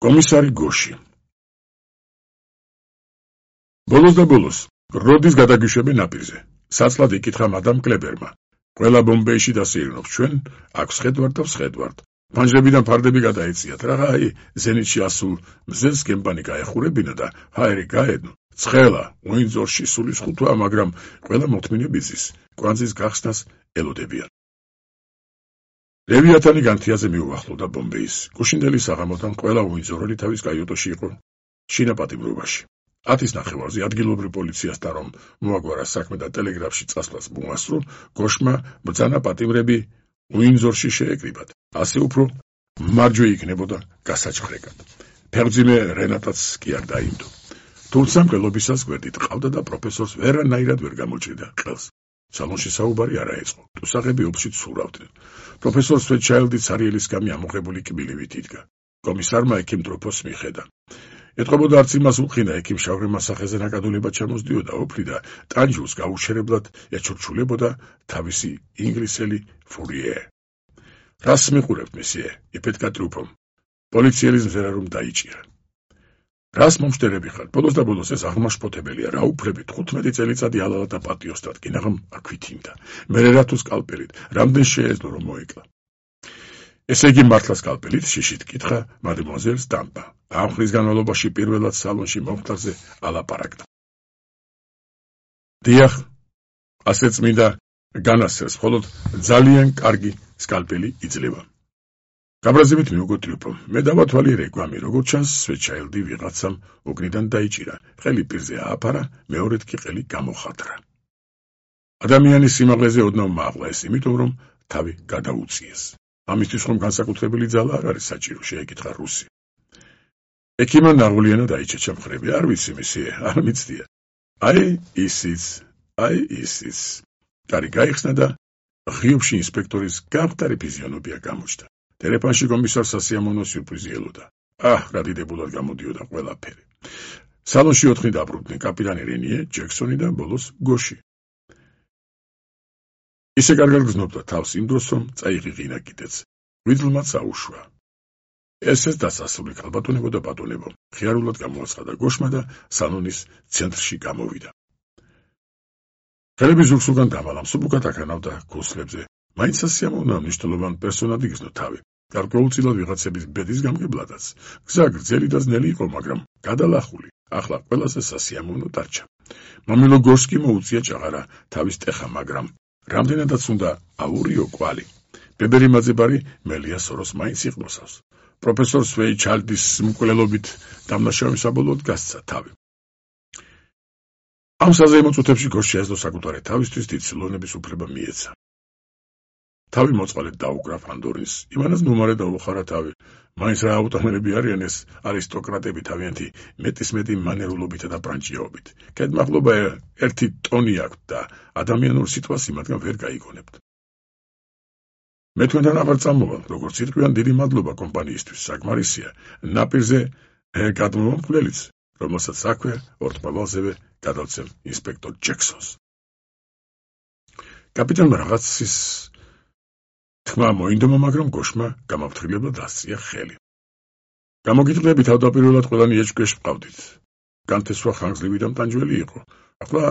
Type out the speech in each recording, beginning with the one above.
კომისარი გოში. ბოლოს და ბოლოს, როდის გადაგიშვები ნაპირზე? საცლად იკითხა მადამ კლებერმა. ყველა ბომბეიში დასეირნოთ ჩვენ, აქ ვსხედვართ და ვსხედვართ. ფანჯრებიდან ფარდები გადაეციათ, რაღა აი, ზენიტში ასულ მზეს გემბანი გაეხურებინა და ჰაერი გაედნო. ცხელა, უინძორში სულის ხუთვა, მაგრამ ყველა მოთმინები ზის, კვანძის გახსნას ელოდებიან. ლევიათანი განთიაზე მიუახლოვდა ბომბეის. გუშინდელი საღამოდან ყველა უინძორელი თავის კაიუტოში იყო შინაპატიმრობაში. 10-ის ნახევარზე ადგილობრივ პოლიციასთან რომ მოაგვარა საქმე და ტელეგრაფში წასვლას მოასწრო, გოშმა ბრძანა პატიმრები უინძორში შეეკრიბათ. ასე უფრო მარჯვე იქნებოდა გასაჩხრეკად. ფეხმძიმე რენატაც კი არ დაიმდო. თუმცა მკვლობისას გვერდით ყავდა და პროფესორს ვერანაირად ვერ გამოჭრიდა ყელს. სალონში საუბარი არ აეწყო. ტუსაღები ოფში ცურავდნენ. პროფესორ სვეტჩაილდი ცარიელის გამი ამოღებული კბილივით იდგა. კომისარმა ექიმ დროფოს მიხედა. ეტყობოდა არც იმას უხინა, ექიმ შავრი მასახეზე ნაკადულებად ჩამოსდიოდა ოფლი და ტანჯულს გაუჩერებლად ეჩურჩულებოდა თავისი ინგლისელი ფურიე. რას მიყურებთ, მესიე? იფეთქა ტრუფომ. პოლიციელის მზერა რომ დაიჭირა. რას მომშტერები ხართ? ბოლოს და ბოლოს ეს აღმაშფოთებელია, რა უფლებით 15 წელიწადი ალალა და პატიოსტრად, კინაღამ აქვითინდა. მერე რა თუ სკალპელით, რამდენ შეეძლო რომ მოეკლა. ესე იგი მართლა სკალპელით, შიშით კითხა მადემუაზელ სტამპა. ამ ხნის განმავლობაში პირველად სალონში მომხდარზე ალაპარაკდა. დიახ, ასე წმინდა განასწრეს, მხოლოდ ძალიან კარგი სკალპელი იძლევა. გაბრაზებით მიუგო ტრიუფომ. მე დავათვალიერე გვამი, როგორც ჩანს, სვეტჩაილდი ვიღაცამ ოგნიდან დაიჭირა. ყელი პირზე ააფარა, მეორედ კი ყელი გამოხატრა. ადამიანის სიმაღლეზე ოდნავ მააღლა ეს, იმიტომ რომ თავი გადაუწიეს. ამისთვის რომ განსაკუთრებული ძალა არ არის საჭირო, შეეკითხა რუსი. ექიმმა ნაღვლიანად დაიჩეჩა მხრები. არ ვიცი, მესიე, არ მიცდია. აი ისიც. კარი გაიხსნა და ღიობში ინსპექტორის გამხდარი ფიზიონომია გამოჩნდა. ტელეფონში კომისარ სასიამოვნო სიურპრიზი ელოდა. რა დიდებულად გამოდიოდა ყველაფერი. სალონში 4 დაბრუნდნენ კაპიტანი რენიე, ჯექსონი და ბოლოს გოში. ისე კარგად გრძნობდა თავს იმ დროს, რომ წაიღიღინა კიდეც. ღვიძლმაც აუშვა. ესეც დასასრული ქალბატონებო და ბატონებო, ხიარულად გამოაცხადა გოშმა და სალონის ცენტრში გამოვიდა. ხელები ზურგსულგან დამალამ სუბუქად აკანავდა ქუსლებზე. მაინც სასიამოვნოა მნიშვნელოვან პერსონად იგრძნო თავი. გარკვეულწილად ვიღაცების ბედის გამგებლადაც. გზა გრძელი და ძნელი იყო, მაგრამ გადალახული. ახლა ყველაზე სასიამოვნო დარჩა. მამილო გორს კი მოუწია ჭაღარა თავის ტეხა, მაგრამ რამდენადაც უნდა აურიო კვალი. ბებერი მაძებარი მელია სოროს მაინც იყნოსავს. პროფესორ სვეიჩალდის მკვლელობით დამნაშავე საბოლოოდ გასცა თავი. ამ საზეიმო წუთებში გორს შეეძლო საკუთარი თავისთვის დიდ სილონების უფლება მიეცა. თავი მოწყალედ დაუკრა ფანდორინს, იმანაც ნუმარე დაუხარა თავი. მაინც რა აუტომელები არიან ეს არისტოკრატები თავიანთი მეტისმეტი მანერულობითა და ბრანჭიაობით. კეთმაღლობა 1 ტონი აქვთ და ადამიანურ სიტყვას იმათგან ვერ გაიგონებთ. მე თქვენთან აღარ წამოვალ, როგორც ირკვიან, დიდი მადლობა კომპანიისთვის, საკმარისია. ნაპირზე გადმოვამკვლელიც, რომელსაც აქვე ორთმავალზევე გადავცემ ინსპექტორ ჯექსონს. კაპიტანმა რაღაცის თქმა მოინდომა, მაგრამ გოშმა გამაფრთხილებლად ასწია ხელი. გამოგიტყდები, თავდაპირველად ყველანი ეჭვქვეშ ვყავდით. განთესვა ხანგრძლივი და მტანჯველი იყო. ახლა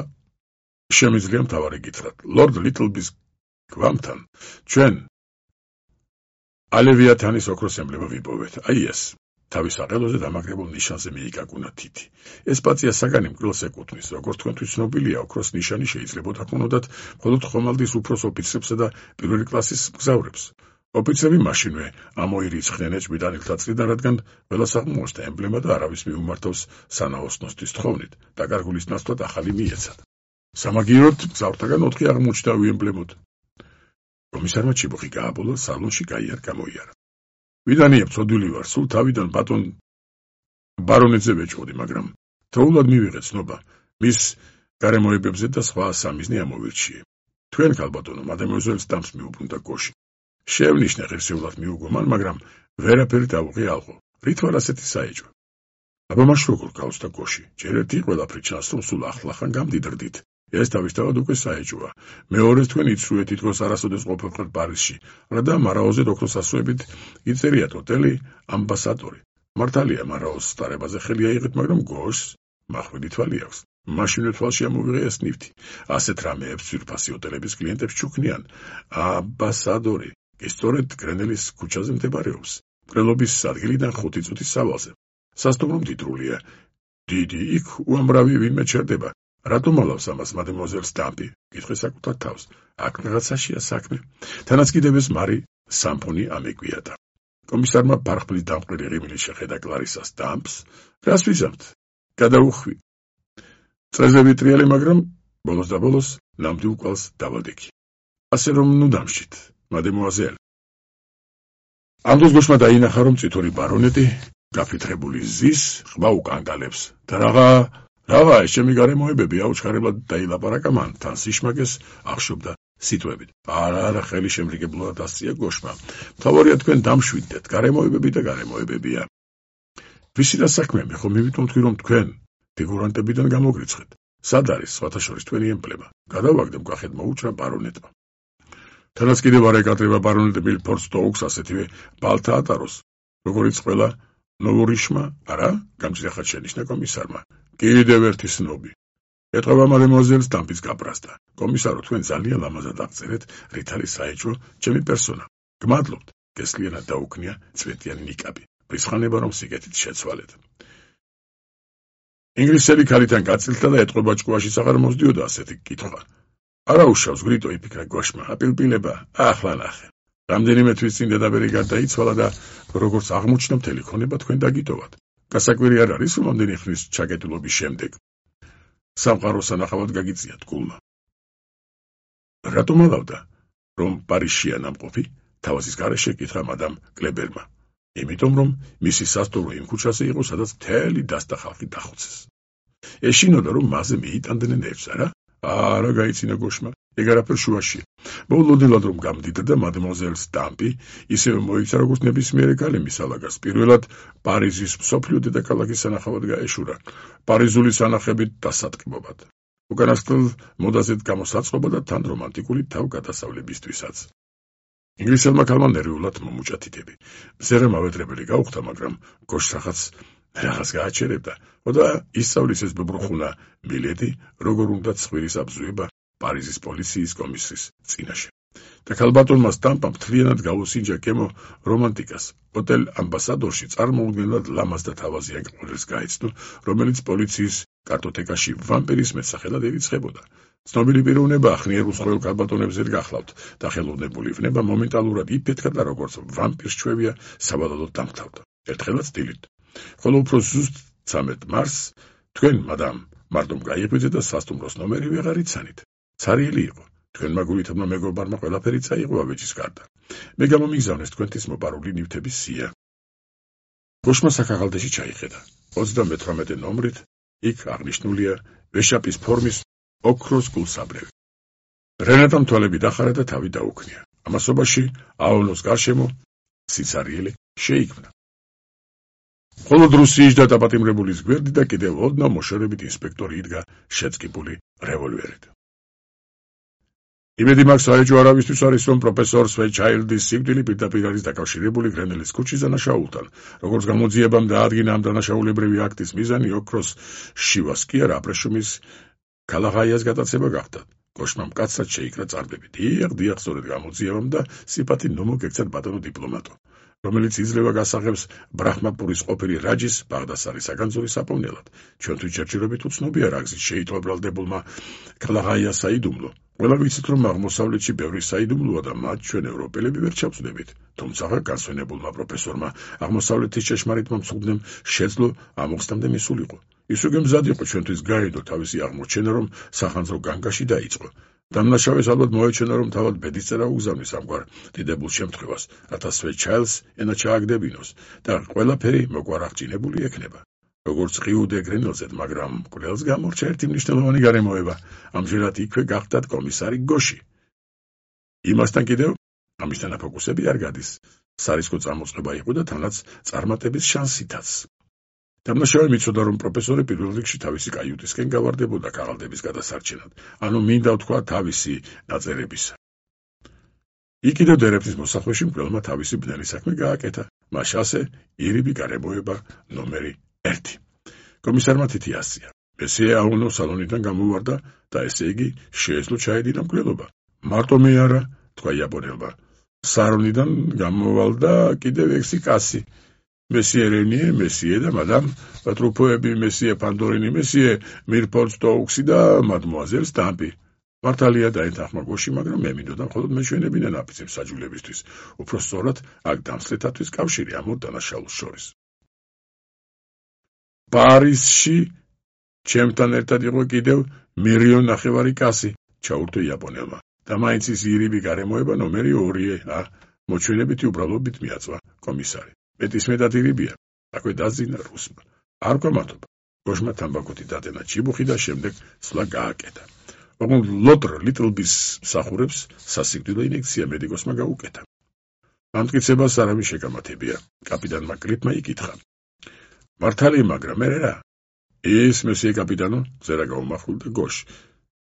შემიძლია მთავარი გითხრათ. ლორდ ლიტლბის გვამთან ჩვენ ალევიათანის ოქროს ემბლემა ვიპოვეთ. აი ეს. თავის აყელოზე დამაგრებულ ნიშანზე მიიკაკუნა თითი. ეს პაწია საგანი მკვლელს ეკუთვნის, როგორც თქვენთვის ცნობილია, ოქროს ნიშანი შეიძლებოდა ჰქონოდათ მხოლოდ ხომალდის უფროს ოფიცრებსა და პირველი კლასის მგზავრებს. ოფიცრები მაშინვე ამოირიცხნენ ეჭვმიტან ილთაცრიდან, რადგან ყველას აღმოაჩნდა ემბლემა და არავის მიუმართავს სანაოსნოსთვის თხოვნით, დაკარგულის ნაცვლად ახალი მიეცათ. სამაგიეროდ მგზავრთაგან 4 აღმოჩნდა უემბლემოდ. კომისარმა ჩიბოხი გააბოლა, სალონში გაიარ გამოიარა. ვიდანია ცოდვილი ვარ, სულ თავიდან ბატონ ბარონეძე ვეჭვოდი, მაგრამ თოულად მივიღე ცნობა, მის გარემოებებზე და სხვა სამიზნე ამოვირჩიე. თქვენ ქალბატონო, მადემუაზელ სტამპს მიუბრუნდა გოში. შევნიშნე ღირსეულად მიუგო მან, მაგრამ ვერაფერი დავუღე ალყო. რით ვარ ასეთი საეჭვო? აბა მაშ როგორ გავსდა გოში? ჯერ ერთი ყველაფერი ჩანს, რომ სულ ახლახან გამდიდრდით. ეს თავისთავად უკვე საეჭვოა. მეორეს თქვენ იცრუეთ, თითქოს არასოდეს ყოფილიყავთ პარიზში, რადა მარაოზედ ოქროს ასოებით იწერიათ ოტელი ამბასადორი. მართალია, მარაოს სტარებაზე ხელი აიღეთ, მაგრამ გოშს მახვილი თვალი აქვს. მაშინვე თვალში ამოვიღია სნიფთი. ასეთ რამეებს ძვირფასი ოტელების კლიენტებს ჩუქნიან. ამბასადორი კი სწორედ გრენელის ქუჩაზე მდებარეობს. მკვლელობის ადგილიდან 5 წუთის სავალზე. სასტუმრო მდიდრულია. დიდი იქ უამრავი ვინმე ჩერდება. რატომ ალავს ამას მადემუაზელ სტამპი? კითხე საკუთარ თავს. აქ რაღაცაშია საქმე. თანაც კიდევ ეს მარი სამფონი ამეგვიადა. კომისარმა ფარხბლის დამყრილი ღიმილი შეხედა კლარისა სტამპს. რას ვიზამთ? გადაუხვი. წრეზე ვიტრიალი, მაგრამ ბოლოს და ბოლოს ნამდვილ კვალს დავალდექი. ასე რომ ნუ დამშით, მადემუაზელ. ამ დროს გოშმა დაინახა, რომ წითური ბარონეტი გაფრთხილებული ზის ყბა უკანგალებს და რაღა ეს ჩემი გარემოებები აუჩქარებლად დაილაპარაკა მან, თან სიშმაკეს ახშობდა სიტყვებით. არა, ხელი შემრიგებლად ასწია გოშმა. მთავარია თქვენ დამშვიდდეთ, გარემოებები და გარემოებებია. ვისი და საქმე, მე ხომ მივიტომ თქვი, რომ თქვენ ფიგურანტებიდან გამოგრიცხეთ. სად არის სხვათა შორის თქვენი ემბლემა? გადავაგდე მკახეთ მოუჭრა ბარონეტმა. თანაც კიდევ არ ეკატრება ბარონეტი მილფორდ სტოუქს ასეთივე ბალთა ატაროს, როგორიც ყველა ნოვორიშმა, არა? გამჭრიახად შენიშნა კომისარმა. კიდევ ერთი სნობი. ეტყობა მადემუაზელ სტამპის გაბრაზდა. კომისარო, თქვენ ძალიან ლამაზად აღწერეთ რითალი საეჭვო ჩემი პერსონა. გმადლობთ, გესლიანად დაუქნია წვეტიანი ნიკაბი. ბრისხანება რომ სიგეთით შეცვალეთ. ინგლისელი ქალიდან გაწილდა და ეტყობა ჭკუაშიც აღარ მოსდიოდა ასეთი კითხვა. არა უშავს გრიტო იფიქრა გოშმა, აპილპილება, ახლა ნახე. რამდენიმე თვის წინ დედაბერი გარდაიცვალა და როგორც აღმოჩნდა მთელი ქონება თქვენ დაგიტოვათ. გასაკვირი არ არის, რომ ამდენი ხნის ჩაკეტილობის შემდეგ სამყაროს ანახავად გაგიწიათ გულმა. რატომ ალავდა, რომ პარიზშია ნამყოფი? თავაზის გარეშე კითხა მადამ კლებერმა. იმიტომ რომ მისი სასტუმრო იმ ქუჩაზე იყო, სადაც მთელი დასტა ხალხი დახოცეს. ეშინოდა, რომ მასზე მიიტანდნენ ერთს, არა? არა, გაიცინა გოშმა, ეგ არაფერ შუაშია. მოულოდნელად რომ გამდიდა და მადემუაზელ სტამპი ისევე მოიქცა, როგორც ნებისმიერი ქალი მისალაგას. პირველად პარიზის მსოფლიო დედაქალაქის სანახავად გაეშურა, პარიზული სანახებით დასატკბობად. უკანასკნელ მოდაზედ გამოსაწყობა და თან რომანტიკული თავგადასავლებისთვისაც. ინგლისელმა ქალმა ნერვიულად მომუჭა თითები. მზერა მავედრებელი გაუხდა, მაგრამ გოშს რაღაც გააჩერებდა. და ისწავლის ეს ბებრუხუნა მილედი, როგორ უნდა ცხვირის აბზუება პარიზის პოლიციის კომისრის წინაშე. და ქალბატონმა სტამპამ მთლიანად გაუსინჯა კემო რომანტიკას. ოტელ ამბასადორში წარმოუდგენლად ლამაზ და თავაზიან კვლელს გაეცნო, რომელიც პოლიციის კარტოტეკაში ვამპირის მეტსახელად ერიცხებოდა. ცნობილი პიროვნება ახნიერ უცხოელ ქალბატონებს ვერ გახლავთ და ხელოვნებული ვნება მომენტალურად იფეთქა და როგორც ვამპირს ჩვევია, საბადალოდ დამთავრდა. ერთხელაც დილით. ხოლო უფრო ზუსტ 13 მარტს თქვენ, მადამ, მარტომ გაიღვიძეთ და სასტუმროს ნომერი ვეღარ იცანით. ცარიელი იყო. თქვენმა გულითებმა მეგობარმა ყველაფერი წაიღო ავეჯის გარდა. მე გამომიგზავნეს თქვენთვის მოპარული ნივთების სია. გოშმა საქაღალდეში ჩაიხედა. 38 ნომრით იქ აღნიშნულია ვეშაპის ფორმის ოქროს გულსაბრევი. რენატამ თვალები დახარა და თავი დაუქნია. ამასობაში აონოს გარშემო სიცარიელი შეიქმნა. მხოლოდ რუსიის და დაპატიმრებულის გვერდი და კიდევ ოდნავ მოშორებით ინსპექტორი იდგა შეწყებული რევოლვერით. იმედი მაქვს საეჭვო არავისთვის არის, რომ პროფესორ სვეჩაილდის სიკვდილი პირდაპირ არის დაკავშირებული გრენელის ქუჩის დანაშაულთან. როგორც გამოძიებამ დაადგინა ამ დანაშაულებრივი აქტის მიზანი ოქროს შივას კი არა, აბრეშუმის ქალაღაიას გადაცემა გახდა. გოშმა მკაცრად შეიკრა წარბები. დიახ, სწორედ გამოძიებამ და სიფათი ნუ მოგექცათ ბატონო დიპლომატო, რომელიც იძლევა გასაღებს ბრაჰმაპურის ყოფილი რაჯის ბაღდასარის საგანძური საპოვნელად. ჩვენთვის ჯერჯერობით უცნობია რა გზით შეიტოვა ბრალდებულმა ქალაღაიას საიდუმლო. ყველა ვიცით, რომ აღმოსავლეთში ბევრი საიდუმლოა და მათ ჩვენ ევროპელები ვერ ჩავწვდებით. თუმცა განსვენებულმა პროფესორმა აღმოსავლეთის ჭეშმარიტმა მცუდნენ შეძლო ამოხსნამდე მისულიყო. ის უკვე მზად იყო ჩვენთვის გაედო თავისი აღმოჩენა, რომ სახანძრო განგაში დაიწყო. დამნაშავეს ალბათ მოეჩვენა, რომ თავად ბედისწერა უგზავნის ამგვარ დიდებულ შემთხვევას, რათა სვეჩაილს ენა ჩააგდებინოს და ყველაფერი მოგვარაღჭინებული ექნება. როგორც ყიუდე გრენელზედ, მაგრამ მკვლელს გამორჩა ერთი მნიშვნელოვანი გარემოება. ამჟერად იქვე გახდათ კომისარი გოში. იმასთან კიდევ ამის თანაფოკუსები არ გადის. სარისკო წამოწყება იყო და თანაც წარმატების შანსითაც. დამნაშავე მიცოდა, რომ პროფესორი პირველ რიგში თავისი კაიუტისკენ გავარდებოდა ქაღალდების გადასარჩენად, ანუ მინდა ვთქვა თავისი ნაწერებისა. იქ კიდევ დერეფნის მოსახვეში მკვლელმა თავისი ბნელი საქმე გააკეთა. მას ასე ირიბი გარემოება ნომერი 1. კომისარმა თითი ასწია. მესიე აუნო სალონიდან გამოვარდა და ესე იგი შეეძლო ჩაედინა მკვლელობა. მარტო მე არა, თქვა იაპონელმა. სარონიდან გამოვალ და კიდევ 6 კაცი. მესიე რენიე, მესიე და მადამ ტრუფოები, მესიე ფანდორინი, მესიე მირფორდ სტოუქსი და მადმუაზელ სტამპი. მართალია დაეთანხმა გოში, მაგრამ მე მინდოდა მხოლოდ მეჩვენებინა ნაფიცებ საჯულებისთვის. უფრო სწორად, აქ დამსწრეთათვის კავშირი ამ ორ დანაშაულს შორის. პარიზში ჩემთან ერთად იყო კიდევ 1,500,000 კაცი, ჩაურთო იაპონელმა. და მაინც ის ირიბი გარემოება ნომერი 2-ია, მოჩვენებითი უბრალობით მიაწვა კომისარი. მეტისმეტად ირიბია, აქვე დაძინა რუსმა. არ გვამართობა. გოშმა თამბაქოთი დადენა ჩიბუხი და შემდეგ სვლა გააკეთა. ოღონდ ლოტრ ლიტლბის მსახურებს სასიკვდილო ინექცია მედიკოსმა გაუკეთა. ამტკიცებას არავის შეგამათებია, კაპიტანმა კრიტმა იკითხა. მართალი, მაგრამ მე რა? ის მესიე კაპიტანო, ზერა გაუმახვილდა გოშ.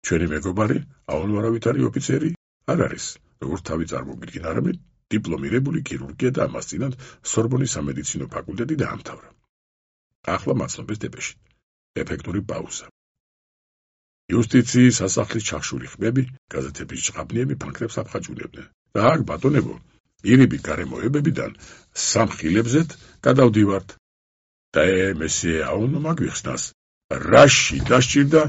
ჩვენი მეგობარი, აუნვარავითარი ოფიცერი არ არის, როგორც თავი წარმოგიდგინა, არამედ დიპლომირებული ქირურგია და ამასწინად სორბონის სამედიცინო ფაკულტეტი დაამთავრა. ახლა მაცნობის დეპეში. ეფექტური პაუზა. იუსტიციის სასახლის ჩახშული ხმები, გაზეთების ჭყაბნიები ფანქრებს აფხაჭუნებდნენ. და აქ ბატონებო, ირიბი გარემოებებიდან სამხილებზეთ გადავდივართ. და მესიე აუნო მაგვიხსნას, რაში დასჭირდა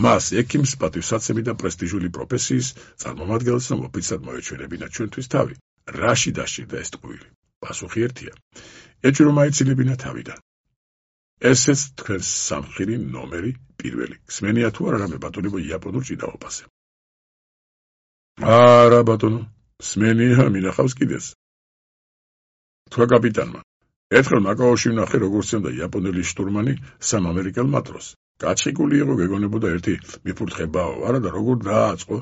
მას ექიმს პატივსაცემი და პრესტიჟული პროფესიის წარმომადგენელს, რომ ოფიციალურად მოეჩვენებინა ჩვენთვის თავი. რაში დასჭირდა ეს ტყუილი? პასუხი ერთია. ეჭვრო მაიცილებინა თავიდან. ესეც თქვენს სამხირი ნომერი 1. გსმენია თუ არა რამე ბატონებო იაპონურ ჭიდაობაზე? არა ბატონო, სმენია, მინახავს კიდეც. თქვა კაპიტანმა. ერთხელ მაკაოში ვნახე, როგორ სცემდა იაპონელი შტურმანი სამ ამერიკელ მატროსს. გაჩხიკული იყო, გეგონებოდა ერთი მიფურთხებაო, არა და როგორ დააწყო?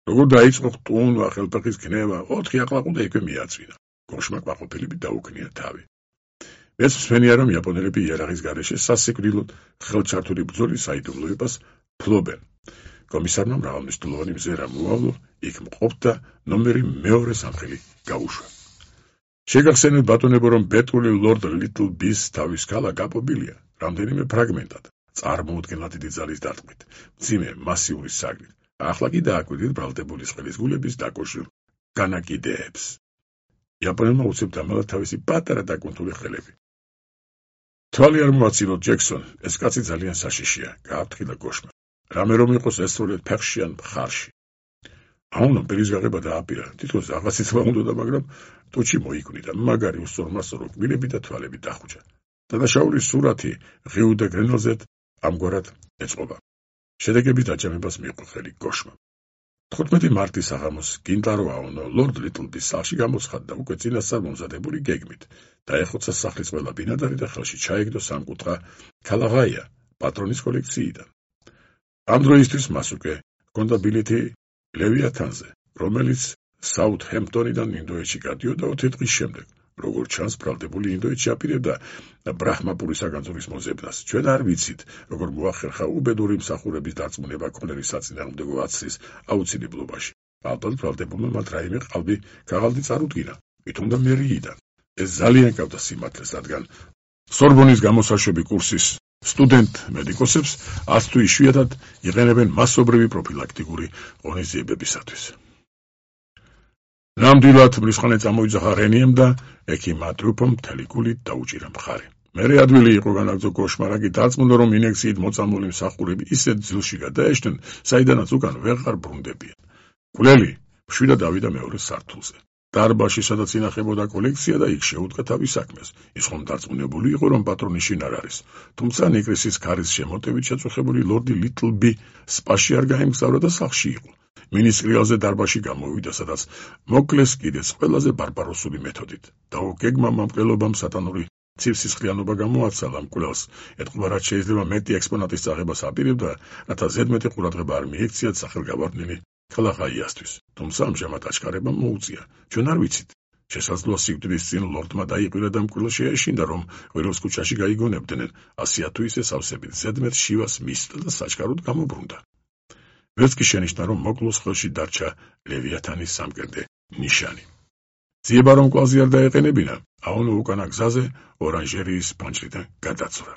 როგორ დაიწყო ხტუნვა, ხელფეხის ქნება, 4 აყლაყუდა იქვე მიაწვინა. გოშმა ყვაყოფილებით დაუქნია თავი. ეს მსმენია, რომ იაპონელები იარაღის გარეშე სასიკვდილოდ ხელჩართული ბრძოლის საიდუმლოებას ფლობენ. კომისარმა მრავალმნიშვნელოვანი მზერა მოავლო, იქ მყოფდა ნომერი 2 სამხილი გაუშვა. შეგახსენებთ ბატონებო, რომ ბეტული ლორდ ლიტლბის თავის ქალა გაპობილია რამდენიმე ფრაგმენტად, წარმოუდგენლად დიდი ძალის დარტყმით, მძიმე მასიური საგნით. ახლა კი დააკვირდით ბრალდებული წყლის გულების დაკოშილ განაკიდეებს. იაპონელმა უცებ დამალა თავისი პატარა დაკუნთული ხელები. თვალი არ მოაცილოთ, ჯექსონ, ეს კაცი ძალიან საშიშია, გააფრთხილა გოშმა. რამე რომ იყოს ესწროლეთ ფეხში ან მხარში. აუნომ პირის გაღება დააპირა, თითქოს რაღაცით მოუნდოდა, მაგრამ ტუჩი მოიკვნიდა, მაგარი უსწორმასწორო კბილები და თვალები დახუჭა. დანაშაულის სურათი ღიუ და გრენლზეთ ამგვარად ეწყობა. შედეგების დაჯამებას მიიღო ხელი გოშმა. 15 მარტის საღამოს გინტარო აუნო ლორდ ლიტლბის სახლში გამოცხადდა და უკვე წინასწარ მომზადებული გეგმით. დაეხოცა სახლის ყველა ბინადარი და ხელში ჩაიგდო სამკუთხა ქალაღაია პატრონის კოლექციიდან. ამ დროისთვის მას უკვე ჰქონდა ბილეთი ლევიათანზე, რომელიც საუთჰემპტონიდან ინდოეთში გადიოდა 4 დღის შემდეგ. როგორც ჩანს, ბრალდებული ინდოეთში აპირებდა ბრაჰმაპურის საგანძურის მოძებნას. ჩვენ არ ვიცით, როგორ მოახერხა უბედური მსახურების დარწმუნება ქონელის საწინააღმდეგო აცრის აუცილებლობაში. ალბათ ბრალდებულმა მათ რაიმე ქაღალდი წარუდგინა, მითუმდა მერიიდან. ეს ძალიან გავდა სიმართლეს, რადგან სორბონის გამოსაშვები კურსის სტუდენტ მედიკოსებს ას თუ იშვიათად იყენებენ მასობრივი პროფილაქტიკური ღონისძიებებისათვის. ნამდვილად მრისხანე წამოიძახა რენიემ და ექიმმა ტრუფომ მთელი გულით დაუჭირა მხარი. მერე ადვილი იყო განაგრძო გოშმა, რაგი დარწმუნდა, რომ ინექციით მოწამული მსახურები ისეთ ძილში გადაეშნენ, საიდანაც უკან ვეღარ ბრუნდებიან. მკვლელი მშვიდად დავიდა მეორე სართულზე. დარბაზში, სადაც ინახებოდა კოლექცია და იქ შეუდგა თავის საქმეს. ის ხომ დარწმუნებული იყო, რომ პატრონი შინ არ არის. თუმცა ნიკრისის ქარის შემოტევით შეწუხებული ლორდი ლიტლბი სპაში არ გაემგზავრა და სახლში იყო. მინისტრიალზე დარბაზში გამოვიდა, სადაც მოკლეს კიდეც ყველაზე ბარბაროსული მეთოდით. დაუგეგმა მამკვლელობამ სატანური ცივსისხლიანობა გამოაცალა მკვლელს. ეტყობა, რაც შეიძლება მეტი ექსპონატის წაღებას აპირებდა, რათა ზედმეტი ყურადღება არ მიექციათ სახელგაბარდნილი ქალაღაიასთვის. თუმცა ამჟამად აჩქარებამ მოუწია. ჩვენ არ ვიცით. შესაძლოა სიკვდილის წინ ლორდმა დაიყვირა და მკვლელს შეეშინდა, რომ ყვირილს ქუჩაში გაიგონებდნენ. ასეა თუ ისე სავსებით ზედმეტ შივას მისდა და საჩქაროდ გამობრუნდა. ვერც კი შენიშნა, რომ მოკლოს ხელში დარჩა ლევიათანის სამკერდე ნიშანი. ძიება რომ კვალზე არ დაეყენებინა, აონო უკანა გზაზე ორანჟერიის ფანჯრიდან გადაცურა.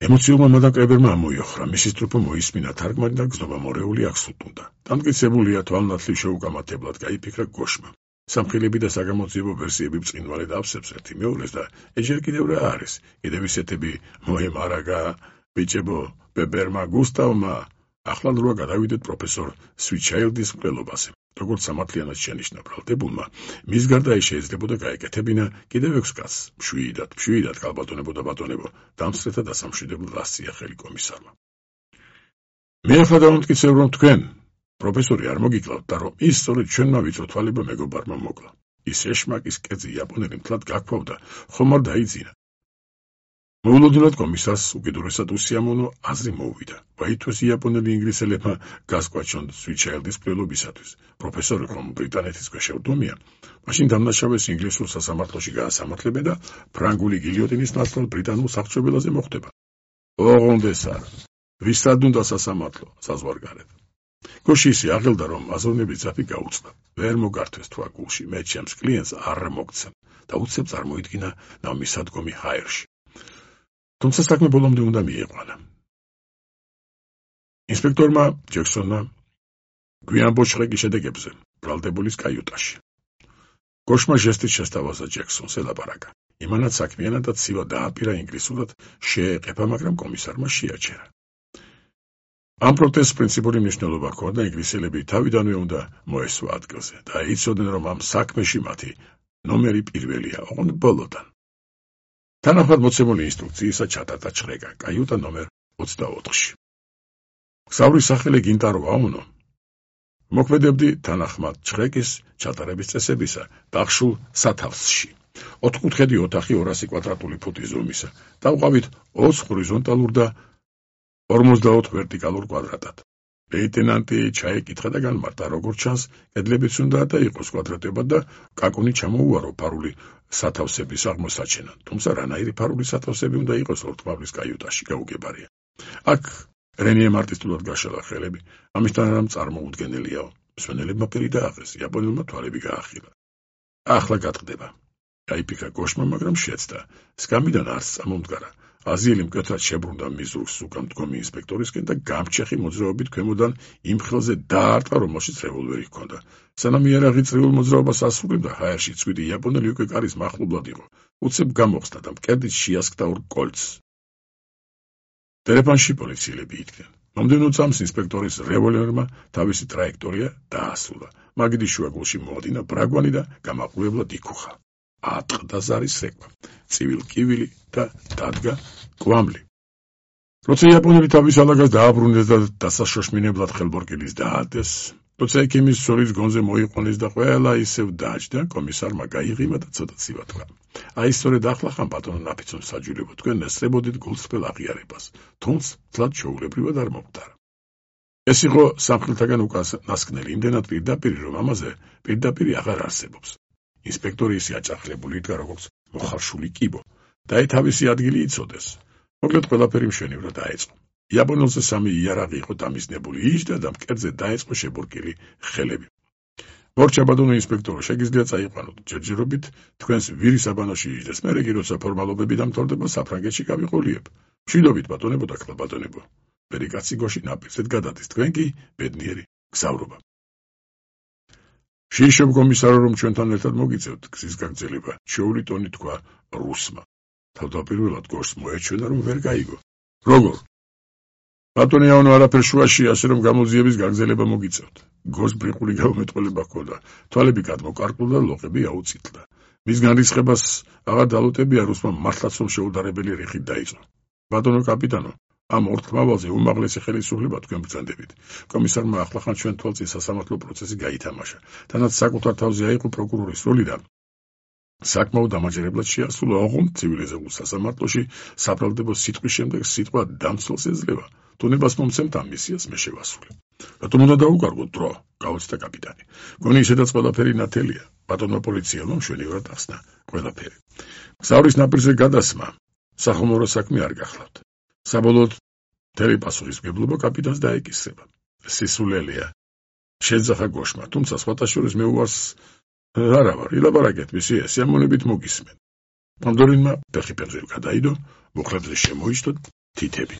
ემოციურმა მადამ კრებერმა ამოიოხრა, მისი სტრუპო მოისმინა თარგმანი და გზნობა მორეული აქ სულტუნდა. დამტკიცებულია თვალნათლივ შეუკამათებლად გაიფიქრა გოშმა. სამხილები და საგამოძიებო ვერსიები ბრწყინვალედ ავსებს ერთი მეორეს და ეჯერ კიდევ რა არის, კიდევ ისეთები მოემარაგა ბიჭებო ბებერმა გუსტავმა, ახლა როა გადავიდეთ პროფესორ სვიჩაილდის მკვლელობაზე. როგორც სამართლიანად შენიშნა ბრალდებულმა, მის გარდა ის შეიძლებოდა გაეკეთებინა კიდევ 6 კაცს, მშვიდად ქალბატონებო და ბატონებო, დამსწრეთა დასამშვიდებლად ასწია ხელი კომისარმა. მე ახლა დავამტკიცებ, რომ თქვენ, პროფესორი არ მოგიკლავთ და რომ ის სწორედ ჩვენმა ვიწრო თვალებმა მეგობარმა მოკლა. ის ეშმაკის კერძი იაპონელი მთლად გაქფავდა, ხომ არ დაიძინა. მოულოდნელად კომისარს უკიდურესად უსიამოვნო აზრი მოუვიდა. ვაითოს იაპონელი ინგლისელებმა გასკვაჩონ სვიჩაილდის მკვლელობისათვის. პროფესორი ხომ ბრიტანეთის ქვეშევრდომია, მაშინ დამნაშავეს ინგლისურ სასამართლოში გაასამართლებენ და ფრანგული გილიოტინის ნაცვლად ბრიტანულ საყრჩობილაზე მოხდება. ოღონდეს არა. ვისაც უნდა სასამართლო, საზღვარგარეთ. გოში ისე აღელდა, რომ აზროვნების ძაფი გაუწყდა. ვერ მოგართვეს თქვა გულში, მე ჩემს კლიენტს არ მოგცემ და უცებ წარმოიდგინა ნავმისადგომი ჰაერში. თუმცა საქმე ბოლომდე უნდა მიიყვანა. ინსპექტორმა ჯექსონმა გვიან ბოჭყეკი შედეგებზე ბრალდებულის კაიუტაში. გოშმა ჟესტით შესთავაზა ჯექსონს ელაპარაკა. იმანაც საქმიანად და ცივა დააპირა ინგლისურად შეეყეფა, მაგრამ კომისარმა შეაჩერა. ამ პროტესტს პრინციპური მნიშვნელობა ჰქონდა, ინგლისელები თავიდანვე უნდა მოესვა ადგილზე და იცოდნენ, რომ ამ საქმეში მათი ნომერი პირველია, ოღონდ ბოლოდან. თანახმად მოცემული ინსტრუქციისა ჩატარდა ჩხრეკა კაიუტა ნომერ 24-ში. გზავრის სახელი გინტარო აუნო. მოქმედებდი თანახმად ჩხრეკის ჩატარების წესებისა ბახშულ სათავსში. 4 კუთხედი ოთახი 200 კვადრატული ფუტის ზომისა. დავყავით 20 ჰორიზონტალურ და 54 ვერტიკალურ კვადრატად. ლეიტენანტი ჩაეკითხა და განმარტა, როგორც ჩანს, კედლებიც უნდა და იყოს კვადრატებად და კაკუნი ჩამოუარო ფარული სათავსების აღმოსაჩენად. თუმცა რანაირი ფარული სათავსები უნდა იყოს ლორდ-ყმავლის კაიუტაში, გაუგებარია. აქ რენიემ არტისტულად გაშალა ხელები, ამისთან რამ წარმოუდგენელიაო. მსვენელებმა პირი დააღეს, იაპონელმა თვალები გაახილა. ახლა გატყდება. გაიფიქრა გოშმა, მაგრამ შეცდა. სკამიდან არც წამომდგარა. აზიელი მკვეთრად შებრუნდა მიზურს უკან მდგომი ინსპექტორისკენ და გამჩეხი მოძრაობით ქვემოდან იმ ხელზე დაარტყა, რომელშიც რევოლვერი ჰქონდა. სანამ იარაღი წრიულ მოძრაობას ასრულებდა, ჰაერში წვიდი იაპონელი უკვე კარის მახლობლად იყო. უცებ გამოხსნა და მკერდით შეასკდა 2 კოლცს. ტელეფონში პოლიციელები იდგნენ. მომდევნო წამს ინსპექტორის რევოლვერმა თავისი ტრაექტორია დაასრულა. მაგიდის შუაგულში მოადინა ბრაგვანი და გამაყურებლად იქუხა. ატყდა ზარის რეკვა, ცივილ-კივილი და დადგა კვამლი. როცა იაპონელი თავის ალაგას დააბრუნეს და დასაშოშმინებლად ხელბორკილის დაადეს, როცა ექიმის სოლის გონზე მოიყვანეს და ყველა ისევ დაჯდა, კომისარმა გაიღიმა და ცოტა ცივა თქვა. აი სწორედ ახლა ხან ბატონო ნაფიცონ საჯულებო, თქვენ ესწრებოდით გულწრფელ აღიარებას, თუმცა თლად ჩვეულებრივად არ მომხდარა. ეს იყო სამხილთაგან უკანასკნელი, იმდენად პირდაპირი, რომ ამაზე პირდაპირი აღარ არსებობს. ინსპექტორი ისე აჭარხლებული იდგა, როგორც მოხარშული კიბო, და თავისი ადგილი იცოდეს. მოკლედ ყველაფერი მშვენივრად დაეწყო. იაპონელზე 3 იარაღი იყო დამიზნებული, იჯდა და მკერდზე დაეწყო შებურკილი ხელები. მორჩა ბატონო ინსპექტორო, შეგიძლიათ წაიყვანოთ, ჯერჯერობით თქვენს ვირის აბანოში იჯდეს, მერე კი როცა ფორმალობები დამთავრდება, საფრანგეთში გავიყოლიებ. მშვიდობით ბატონებო და ქალბატონებო. მერე კაცი გოში ნაპირზედ გადადის, თქვენ კი ბედნიერი გზავრობა. შეიშობ კომისარო, რომ ჩვენთან ერთად მოგიწევთ გზის გაგრძელება, ჩვეული ტონი თქვა რუსმა. თავდაპირველად გორს მოეჩვენა, რომ ვერ გაიგო. როგორ? ბატონი აუნო არაფერ შუაში, ასე რომ გამოძიების გაგრძელება მოგიწევთ. გორს ბრიყული გამომეტყველება ჰქონდა, თვალები გადმოკარკლდა და ლოყები აუწითლდა. მის განრისხებას აღარ დალოტებია, რუსმა მართლაც რომ შეუდარებელი რიხით დაიწყო. ბატონო კაპიტანო, ამ ორთქმავალზე უმაღლესი ხელისუფლება თქვენ ბრძანდებით. კომისარმა ახლახან ჩვენ თვალწინ სასამართლო პროცესი გაითამაშა. თანაც საკუთარ თავზე აიყო პროკურორის როლი და საკმაოდ დამაჯერებლად შეასრულა, ოღონდ ცივილიზებულ სასამართლოში საბრალდებო სიტყვის შემდეგ სიტყვა დამცველს ეძლევა. თუნებას მომცემთ ამ მისიას მე შევასრულებ. რატომ უნდა დაუკარგოთ დრო? გაუცდა კაპიტანი. გონი ისედაც ყველაფერი ნათელია. ბატონმა პოლიციელმა მშვენივრად ახსნა ყველაფერი. გზავრის ნაპირზე გადასმა სახომორო საქმე არ გახლავთ. საბოლოოდ მთელი პასუხისმგებლობა კაპიტანს დაეკისრება. სისულელია. შეძახა გოშმა, თუმცა სხვათა შორის მე უარს არა ვარ, ილაპარაკეთ მისი სიამოვნებით მოგისმენ. პანდორინმა ფეხი ფეხზე გადაიდო, მუხლებზე შემოიშტო თითები.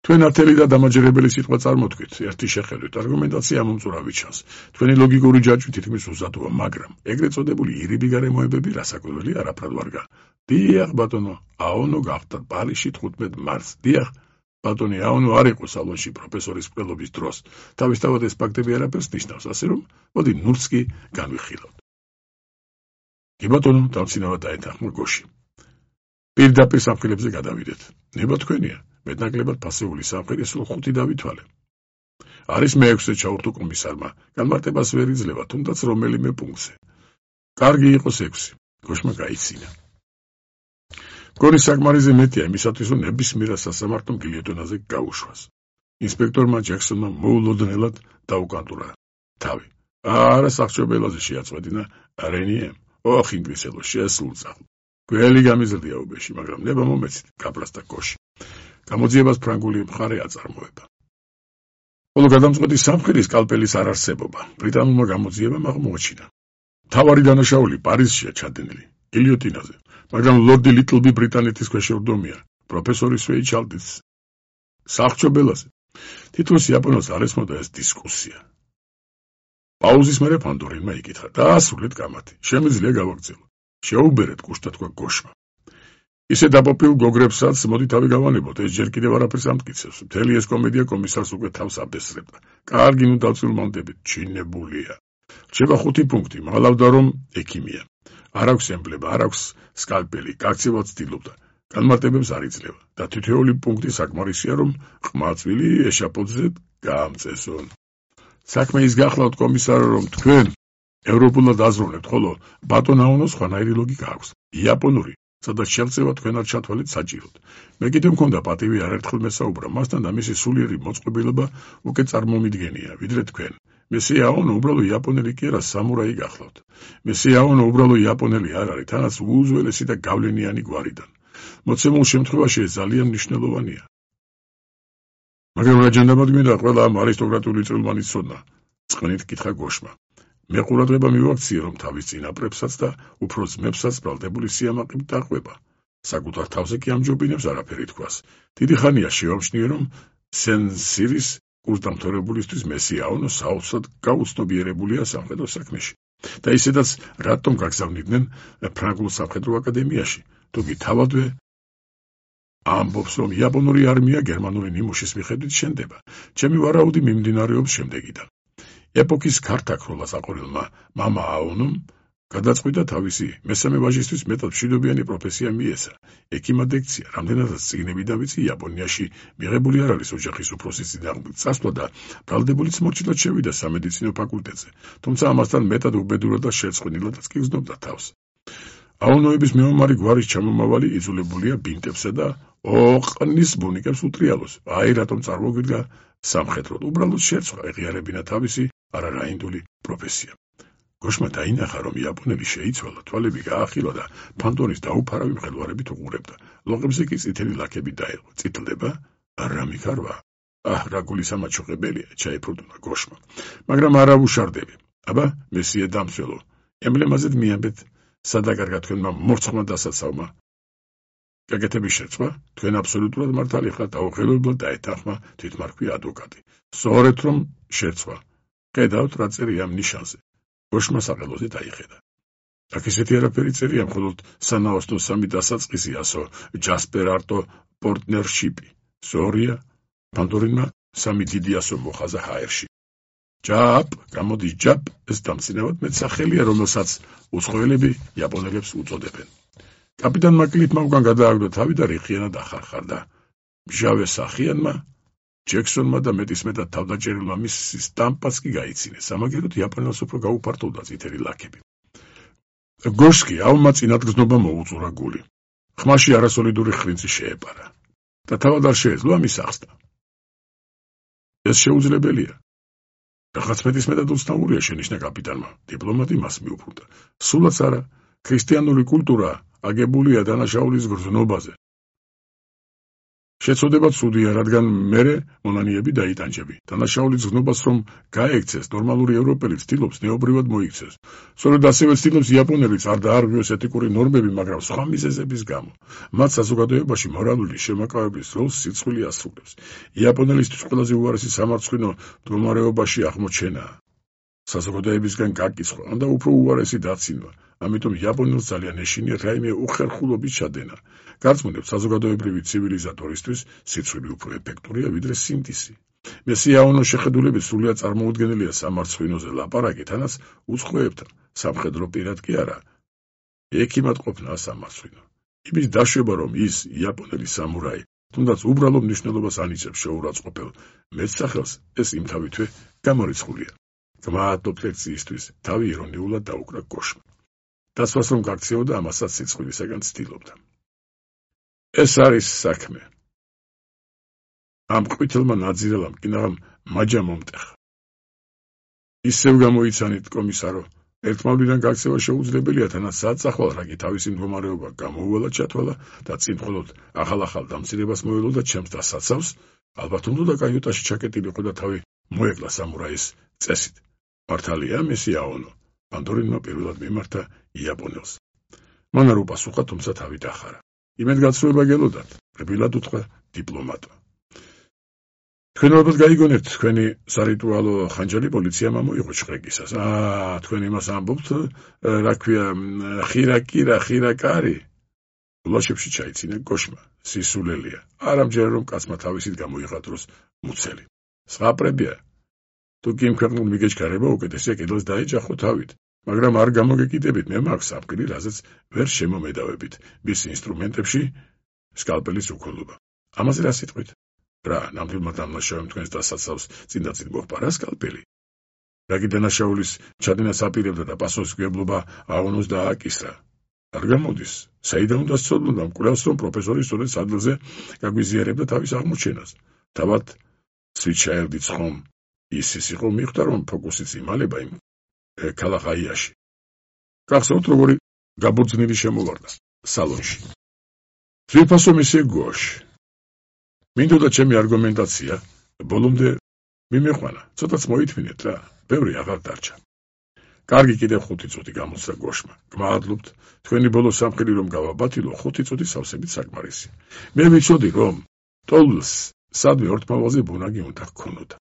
თქვენ ათელი და დამაჯერებელი სიტყვა წარმოთქვით, ერთი შეხედვით, არგუმენტაცია ამომწურავი ჩანს. თქვენი ლოგიკური ჯაჭვი თითქმის უსადოა, მაგრამ ეგრეთ წოდებული ირიბი გარემოებები რასაკვირველი არაფრად ვარგა. დიახ, ბატონო, აონო გახდათ პარიზში 15 მარტს. დიახ, ბატონი აონო არ იყო სალონში პროფესორის მკვლელობის დროს. თავისთავად ეს ფაქტები არაფერს ნიშნავს, ასე რომ, მოდი ნურცს კი განვიხილავთ. კი ბატონო, დამცინავად დაეთანხმა გოში. პირდაპირ სამხილებზე გადავიდეთ. ნება თქვენია, მეტნაკლებად ფასეული სამხილის სულ 5 დავითვალე. არის მე-6-ე ჩაურთო კომისარმა, განმარტებას ვერ იძლევა, თუნდაც რომელიმე პუნქტზე. კარგი იყოს 6. გოშმა გაიცინა. გორის საკმარისზე მეტია იმისათვის, რომ ნებისმიერ სასამართლომ გილიოტინაზე გაუშვას. ინსპექტორმა ჯექსონმა მოულოდნელად დაუკანტურა თავი. არა სახჭობელაზე შეაწყვეტინა რენიემ. ოხ ინგლისელო შესულწა. გველი გამიზრდია უბეში, მაგრამ ნება მომეცით, გაბრასდა გოში. გამოძიებას ფრანგული მხარე აწარმოება. ხოლო გადამწყვეტი სამხილის სკალპელის არარსებობა ბრიტანულმა გამოძიებამ აღმოაჩინა. მთავარი დანაშაული პარიზშია ჩადენილი, გილიოტინაზე, მაგრამ ლორდი ლიტლბი ბრიტანეთის ქვეშევრდომია, პროფესორი სვეიჩალდის სახჭობელაზე. თითოეულ იაპონელს არ ესმოდა ეს დისკუსია. პაუზის მერე პანდორინმა იკითხა, დაასრულეთ კამათი, შემიძლია გავაგრძელოთ. შეუბერეთ კუშტა თქვა გოშმა. ისე დაპოპილ გოგრებსაც მოდი თავი გავანებოთ, ეს ჯერ კიდევ არაფერს ამტკიცებს. მთელი ეს კომედია კომისარს უკვე თავს აბესრებდა. კარგი, ნუ დავწილმანდებით, ჩინებულია. რჩება 5 პუნქტი, მაღლავდა რომ ექიმია. არ აქვს ემბლემა, არ აქვს სკალპელი, გაქცევაც ცდილობდა. განმარტებებს არ იძლევა და თითოეული პუნქტი საკმარისია, რომ ყმაწვილი ეშაპოძზე გაამწესონ. საქმე ის გახლავთ კომისარო, რომ თქვენ ევროპულად აზროვნებთ, ხოლო ბატონ აონოს სხვანაირი ლოგიკა აქვს. იაპონური, სადაც შევწევა თქვენად ჩათვალეთ საჭიროდ. მე კიდევ მქონდა პატივი არერთხელ მესაუბრა მასთან და მისი სულიერი მოწყობილობა უკვე წარმომიდგენია, ვიდრე თქვენ. მესია აონო უბრალო იაპონელი კი არა, სამურაი გახლავთ. მესია აონო უბრალო იაპონელი არ არის, თანაც უუზველესი და გავლენიანი გვარიდან. მოცემულ შემთხვევაში ეს ძალიან მნიშვნელოვანია. მაგრამ რა ჯანდაბად მინდა ყველა ამ არისტოკრატული წვრილმანის ცოდნა? წყნით კითხა გოშმა. მე ყურადღება მივაქციე, რომ თავის წინაპრებსაც და უფრო ძმებსაც ბრალდებული სიამაყით დაყვება. საკუთარ თავზე კი ამჯობინებს არაფერი თქვას. დიდი ხანია შევამჩნიე, რომ სენ-სირის კურსდამთავრებულისთვის მესია აონო საოცრად გაუცნობიერებულია სამხედრო საქმეში. და ისედაც რატომ გაგზავნიდნენ ფრანგულ სამხედრო აკადემიაში? თუკი თავადვე ამბობს, რომ იაპონური არმია გერმანული ნიმუშის მიხედვით შენდება. ჩემი ვარაუდი მიმდინარეობს შემდეგიდან. ეპოქის ქართაქროლას აყოლილმა მამა აონომ გადაწყვიტა თავისი მესამე ვაჟისთვის მეტად მშვიდობიანი პროფესია მიეცა. ექიმად ექცია, რამდენადაც წიგნები დავიცი იაპონიაში მიღებული არ არის ოჯახის უფროსის წინააღმდეგ წასვლა და ბრალდებულიც მორჩილად შევიდა სამედიცინო ფაკულტეტზე, თუმცა ამასთან მეტად უბედურად და შეწყვილადაც კი გრძნობდა თავს. აონოების მეომარი გვარის ჩამომავალი იძულებულია ბინტებსა და ოყნის ბუნიკებს უტრიალოს. აი რატომ წარმოგვიდგა სამხედროდ, უბრალოდ შეცვლა ეღიარებინა თავისი არარაინდული პროფესია. გოშმა დაინახა, რომ იაპონელი შეიცვალა, თვალები გაახილა და ფანტონის დაუფარავი მხედვარებით უყურებდა. ლოყებზე კი წითელი ლაქები დაეყო. წითლდება? რა მიქარვა? რა გულისამაჩუყებელია, ჩაიფრდუნა გოშმა. მაგრამ არა უშარდები. აბა, მესიე დამცველო, ემბლემაზე მიამბეთ, სადაგარგა თქვენმა მორცხმა დასაცავმა. გაკეთების შეცვლა, თქვენ აბსოლუტურად მართალი ხართ, დაუხელებლად დაეთანხმა თვითმარქვი ადვოკატი. სწორედ რომ შეცვლა. ხედავთ რა წერია ამ ნიშანზე. გოშმა საყელოზე დაიხედა. აქ ისეთი არაფერი წერია, მხოლოდ სანაოსნო 3 დასაწყისი ასო ჯასპერ არტო პორტნერშიპი. ზორია, პანდორინმა 3 დიდი ასო მოხაზა ჰაერში. ჯაპ, გამოდის ჯაპ, ეს დამცინავად მეტსახელია, რომელსაც უცხოელები იაპონელებს უწოდებენ. კაპიტან მაკლიტმა უკან გადააგდო თავი და რიხიანად ახარხარდა. მჟავე სახიანმა, ჯექსონმა და მეტისმეტად თავდაჭერილმა მის სტამპაც კი გაიცინეს, სამაგეროდ იაპონელს უფრო გაუფართოვდა წითელი ლაქები. გოშკი ავმა წინადგზნობა მოუწურა გული. ხმაში არასოლიდური ხრინცი შეეპარა და თავად არ შეეძლო ამის ახსნა. ეს შეუძლებელია. რაღაც მეტისმეტად უცნაურია, შენიშნა კაპიტანმა. დიპლომატი მას მიუბრუნდა. სულაც არა, ქრისტიანული კულტურა აგებულია დანაშაულის გრძნობაზე. შეწოდება ცუდია, რადგან მერე მონანიები დაიტანჯები. დანაშაულის გზნობას რომ გაექცეს, ნორმალური ევროპელი ცდილობს ნეობრივად მოიქცეს. სწორედ ასევე ცდილობს იაპონელიც არ დაარღვიოს ეთიკური ნორმები, მაგრამ სხვა მიზეზების გამო. მათ საზოგადოებაში მორალური შემაკავების როლს სიცხვილი ასრულებს. იაპონელისთვის ყველაზე უარესი სამარცხვინო მდგომარეობაში აღმოჩენაა. საზოგადოებისგან გაკიცხვა, ან და უფრო უარესი დაცინვა. ამიტომ იაპონელს ძალიან ეშინია რაიმე უხერხულობის ჩადენა. გარწმუნებს საზოგადოებრივი ცივილიზატორისთვის სიცხვილი უფრო ეფექტურია ვიდრე სინდისი. მესიაონოს შეხედულებით სრულიად წარმოუდგენელია სამარცხვინოზე ლაპარაკი, თანაც უცხოებთან, სამხედრო პირად კი არა. ექიმად ყოფნა სამარცხვინო. იმის დაშვება, რომ ის იაპონელი სამურაი, თუნდაც უბრალო მნიშვნელობას ანიჭებს შეურაცხყოფელ მეტსახელს, ეს იმთავითვე გამორიცხულია. გმადლობთ ლექციისთვის, თავი ირონიულად დაუკრა გოშმა. დასვას რომ გაქცეოდა, ამასაც სიცხვილისაგან ცდილობდა. ეს არის საქმე. ამ ყვითელმა ნაძირალამ კინაღამ მაჯა მომტეხა. ისევ გამოიცანით, კომისარო, ერთმავლიდან გაქცევა შეუძლებელია, თანაც საწახვალ რაგი თავისი მდგომარეობა გამოუვალა ჩათვალა და წინ მხოლოდ ახალ დამცირებას მოელო და ჩემს დასაცავს, ალბათ უნდა კაიუტაში ჩაკეტილიყო და თავი მოეკლა სამურაის წესით. მართალია მესიაონო, პანდორინმა პირველად მიმართა იაპონელს. მან არ უპასუხა, თუმცა თავი დახარა. იმედგაცრუება გელოდათ, რბილად უთხრა დიპლომატმა. თქვენ ალბათ გაიგონებთ, თქვენი სარიტუალო ხანჯალი პოლიციამ ამოიღო შყრეკისას. თქვენ იმას ამბობთ, რა ქვია, ხირაკარი. გულაშებში ჩაიცინა გოშმა, სისულელია. არ ამჯერა რომ კაცმა თავისით გამოიღადროს მუცელი. სღაპრებია. თუ კი იმ ქვეყნულ მიგეჩქარება, უკეთესია კიდელს დაეჯახო თავით. მაგრამ არ გამოგეკიდებით, მე მაქვს საფრთხილი, რაზეც ვერ შემომედავებით. მის ინსტრუმენტებში სკალპელის უქოლობა. ამაზე რა სიტყვით? რა, ნამდვილმა დამნაშავემ თქვენს დასაცავს წინდაწინ მოჰპარა სკალპელი? რაგი დანაშაულის ჩადენას აპირებდა და პასუხისმგებლობა აონოს დააკისრა. არ გამოდის, საიდან უნდა სწავლობდა, მკვლევს რომ პროფესორი სწორედ სადგელზე გაგვიზიარებდა თავის აღმოჩენას. თავად სვიჩაელდიც ხომ ის იყო მიხვდა, რომ ფოკუსიც იმალება იმ ქალახაიაში. გახსოვთ, როგორი გაბორძნილი შემოვარდა სალონში. ძვირფასო მისე გოშ. მინდოდა ჩემი არგუმენტაცია, ბოლომდე მიმეყვანა, ცოტაც მოითმინეთ რა, ბევრი აღარ დარჩა. კარგი, კიდევ 5 წუთი გამოსცა გოშმა. გმადლობთ, თქვენი ბოლო სამხილი რომ გავაბათილო, 5 წუთი სავსებით საკმარისი. მე ვიცოდი, რომ ტოლს სადმე ორთმალვაზე ბუნაგი უნდა ჰქონოდა.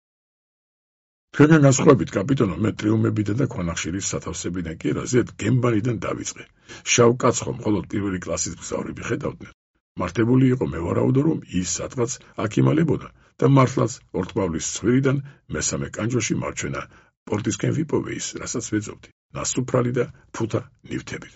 თქვენგან განსხვავებით, კაპიტანო, მე ტრიუმებიდან და ქვანახშირის სათავსებიდან კი რაზედ გემბანიდან დავიწყე. შავ კაცს ხომ მხოლოდ პირველი კლასის მგზავრები ხედავდნენ. მართებული იყო, მე ვარაუდო, რომ ის სადღაც აქ იმალებოდა და მართლაც ორთმავლის ცხვირიდან მესამე კანჯოში მარჩვენა პორტისკენ ვიპოვე ის, რასაც ვეძებდი, ნასუფრალი და ფუთა ნივთებით.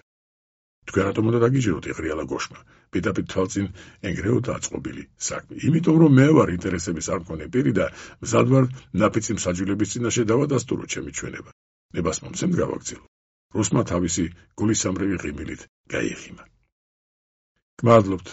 თქვენ რატომ უნდა დაგიჯეროთ, ეღრიალა გოშმა, პირდაპირ თვალწინ ენგრეოდა აწყობილი საქმე. იმიტომ რომ მე ვარ ინტერესების არ მქონე პირი და მზად ვარ ნაფიცი მსაჯულების წინაშე დავადასტურო ჩემი ჩვენება. ნებას მომცემთ გავაგზავნო. რუსმა თავისი გულისამრევი ღიმილით გაიხიმა. გმადლობთ.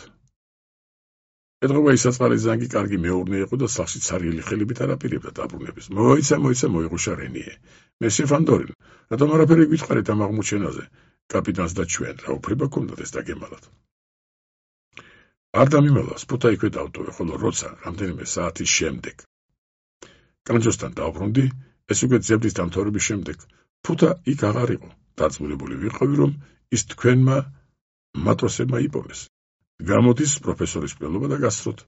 ეთყობა ის საწყალი ზანგი კარგი მეურნე იყო და სახლში ცარიელი ხელებით არ აპირებდა დაბრუნების. მოიცა მოიღუშა რენიე. მესე ფანდორინ, რატომ არაფერი გითხარით ამ აღმოჩენაზე? კაპიტანს და ჩვენ რა უფლება გქონდათ ეს დაგემალათ? არ დამიმალავს, ფუთა იქვე დავტოვე, ხოლო როცა რამდენიმე საათის შემდეგ კანჯოსთან დავბრუნდი, ეს უკვე ძებლის დამთავრების შემდეგ, ფუთა იქ აღარ იყო. დაწმუნებული ვიყავი, რომ ის თქვენმა მატროსებმა იპოვეს. გამოდის პროფესორის მკვლელობა და გასწროთ.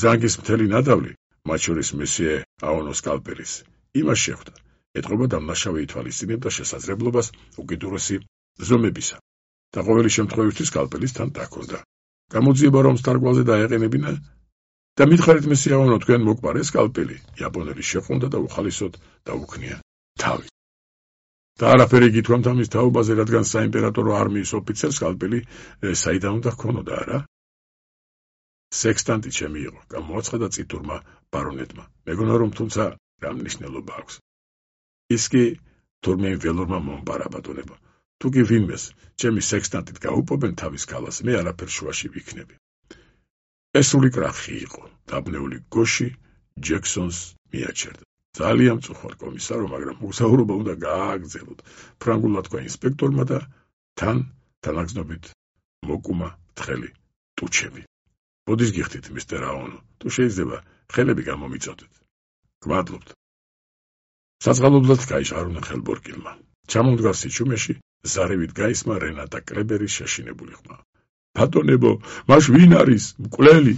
ზანგის მთელი ნადავლი, მათ შორის მესიე აონოს სკალპელის, იმას შეხვდა. ეთყობა დამნაშავე ითვალისწინებდა შესაძლებლობას უკიდურესი ზომებისა და ყოველი შემთხვევისთვის სკალპელის თან დაქონდა. გამოძიება რომ სტარგვალზე დაეყენებინა და მითხარით მესიე აონო, თქვენ მოგპარეს სკალპელი. იაპონელი შეყონდა და უხალისოდ დაუქნია თავი. და არაფერი გითქვამთ ამის თაობაზე, რადგან საიმპერატორო არმიის ოფიცერს სკალპელი საიდან უნდა ჰქონოდა, არა? სექსტანტი ჩემი იყო, გამოაცხადა წითურმა ბარონეტმა. მეგონა რომ თუმცა რა მნიშვნელობა აქვს. ის კი თურმე ველორმა მომპარა ბატონებო. თუ კი ვინმეს ჩემი სექსტანტით გაუპობენ თავის ქალას, მე არაფერ შუაში ვიქნები. ეს სული კრახი იყო, დაბნეული გოში ჯექსონს მიაჩერდა. ძალიან მწუხვარ კომისარო, მაგრამ მოგზაურობა უნდა გააგრძელოთ. ფრანგულად თქვა ინსპექტორმა და თან თანაგზნობით მოკუმა თხელი ტუჩები. ბოდის გიხდით, მისტერ აონო, თუ შეიძლება ხელები გამომიწოდეთ. გმადლობთ. საწყალობლად გაიშარულა ხელბორკილმა. ჩამომდგარ სიჩუმეში ზარევით გაისმა რენატა კრებერის შეშინებული ხმა. ბატონებო, მაშ ვინ არის? მკვლელი!